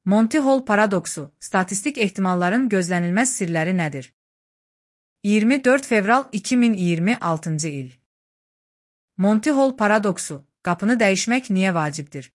Monty Hall paradoksu, statistik ehtimalların gözlənilməz sirləri nədir? 24 fevral 2026 il. Monty Hall paradoksu, qapını dəyişmək niyə vacibdir?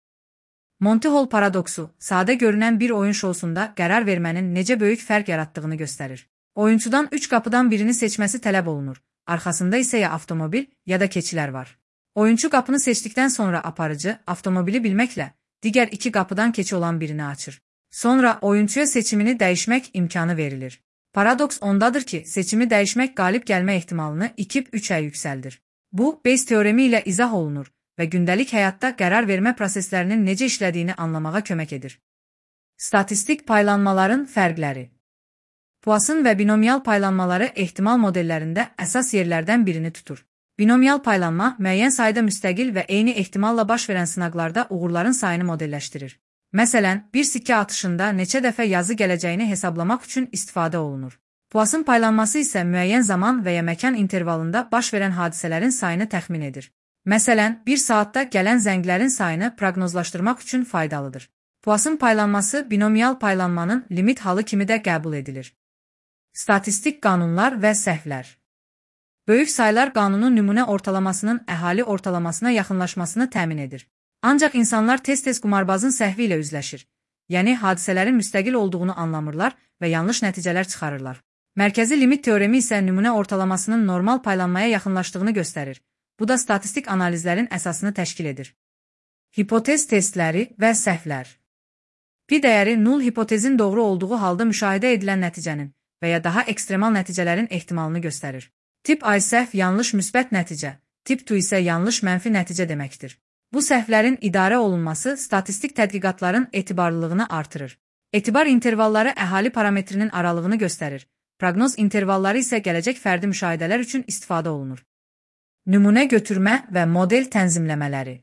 Monty Hall paradoksu, sadə görünən bir oyun şousunda qərar vermənin necə böyük fərq yaratdığını göstərir. Oyunçudan 3 qapıdan birini seçməsi tələb olunur, arxasında isə ya avtomobil, ya da keçilər var. Oyunçu qapını seçdikdən sonra aparıcı, avtomobili bilməklə, digər 2 qapıdan keçi olan birini açır. Sonra oyunçuya seçimini dəyişmək imkanı verilir. Paradoks ondadır ki, seçimi dəyişmək qalib gəlmə ehtimalını 2-3-ə yüksəldir. Bu, Bayes teoremi ilə izah olunur və gündəlik həyatda qərar vermə proseslərinin necə işlədiyini anlamağa kömək edir. Statistik paylanmaların fərqləri. Poisson və binomial paylanmaları ehtimal modellərində əsas yerlərdən birini tutur. Binomial paylanma, müəyyən sayda müstəqil və eyni ehtimalla baş verən sınaqlarda uğurların sayını modelləşdirir. Məsələn, bir sikkə atışında neçə dəfə yazı gələcəyini hesablamaq üçün istifadə olunur. Poisson paylanması isə müəyyən zaman və ya məkan intervalında baş verən hadisələrin sayını təxmin edir. Məsələn, bir saatda gələn zənglərin sayını proqnozlaşdırmaq üçün faydalıdır. Poisson paylanması binomial paylanmanın limit halı kimi də qəbul edilir. Statistik qanunlar və səhvlər. Böyük saylar qanunu nümunə ortalamasının əhali ortalamasına yaxınlaşmasını təmin edir. Ancaq insanlar tez-tez qumarbazın səhvi ilə üzləşir, yəni hadisələrin müstəqil olduğunu anlamırlar və yanlış nəticələr çıxarırlar. Mərkəzi limit teoremi isə nümunə ortalamasının normal paylanmaya yaxınlaşdığını göstərir. Bu da statistik analizlərin əsasını təşkil edir. Hipotez testləri və səhvlər. Pi dəyəri null hipotezin doğru olduğu halda müşahidə edilən nəticənin və ya daha ekstremal nəticələrin ehtimalını göstərir. Tip A səhv yanlış müsbət nəticə, tip 2 isə yanlış mənfi nəticə deməkdir. Bu səhvlərin idarə olunması statistik tədqiqatların etibarlılığını artırır. Etibar intervalları əhali parametrinin aralığını göstərir. Proqnoz intervalları isə gələcək fərdi müşahidələr üçün istifadə olunur. Nümunə götürmə və model tənzimləmələri.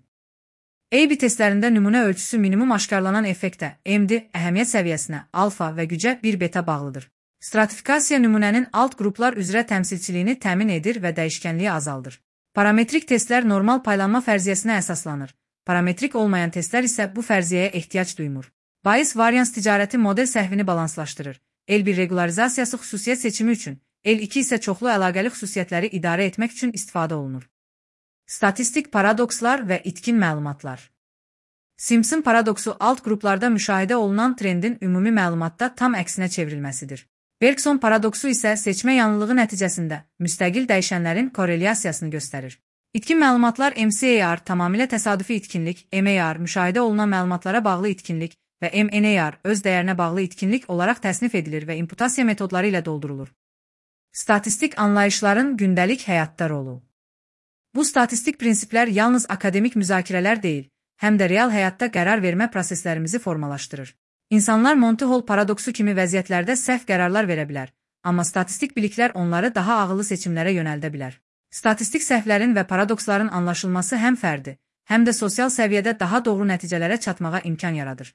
A-B testlərində nümunə ölçüsü minimum aşkarlanan effektə, MD, əhəmiyyət səviyyəsinə, alfa və gücə 1 beta bağlıdır. Stratifikasiya nümunənin alt qruplar üzrə təmsilçiliyini təmin edir və dəyişkənliyi azaldır. Parametrik testlər normal paylanma fərziyyəsinə əsaslanır. Parametrik olmayan testlər isə bu fərziyyəyə ehtiyac duymur. Bayes varians ticarəti model səhvini balanslaşdırır. L1 regularizasiyası xüsusiyyət seçimi üçün, L2 isə çoxlu əlaqəli xüsusiyyətləri idarə etmək üçün istifadə olunur. Statistik paradokslar və itkin məlumatlar. Simpson paradoksu alt qruplarda müşahidə olunan trendin ümumi məlumatda tam əksinə çevrilməsidir. Bergson paradoksu isə seçmə yanlılığı nəticəsində müstəqil dəyişənlərin korrelyasiyasını göstərir. İtkin məlumatlar MCAR tamamilə təsadüfi itkinlik, MAR müşahidə olunan məlumatlara bağlı itkinlik və MNAR öz dəyərinə bağlı itkinlik olaraq təsnif edilir və imputasiya metodları ilə doldurulur. Statistik anlayışların gündəlik həyatda rolu. Bu statistik prinsiplər yalnız akademik müzakirələr deyil, həm də real həyatda qərar vermə proseslərimizi formalaşdırır. İnsanlar Monty Hall paradoksu kimi vəziyyətlərdə səhv qərarlar verə bilər, amma statistik biliklər onları daha ağıllı seçimlərə yönəldə bilər. Statistik səhvlərin və paradoksların anlaşılması həm fərdi, həm də sosial səviyyədə daha doğru nəticələrə çatmağa imkan yaradır.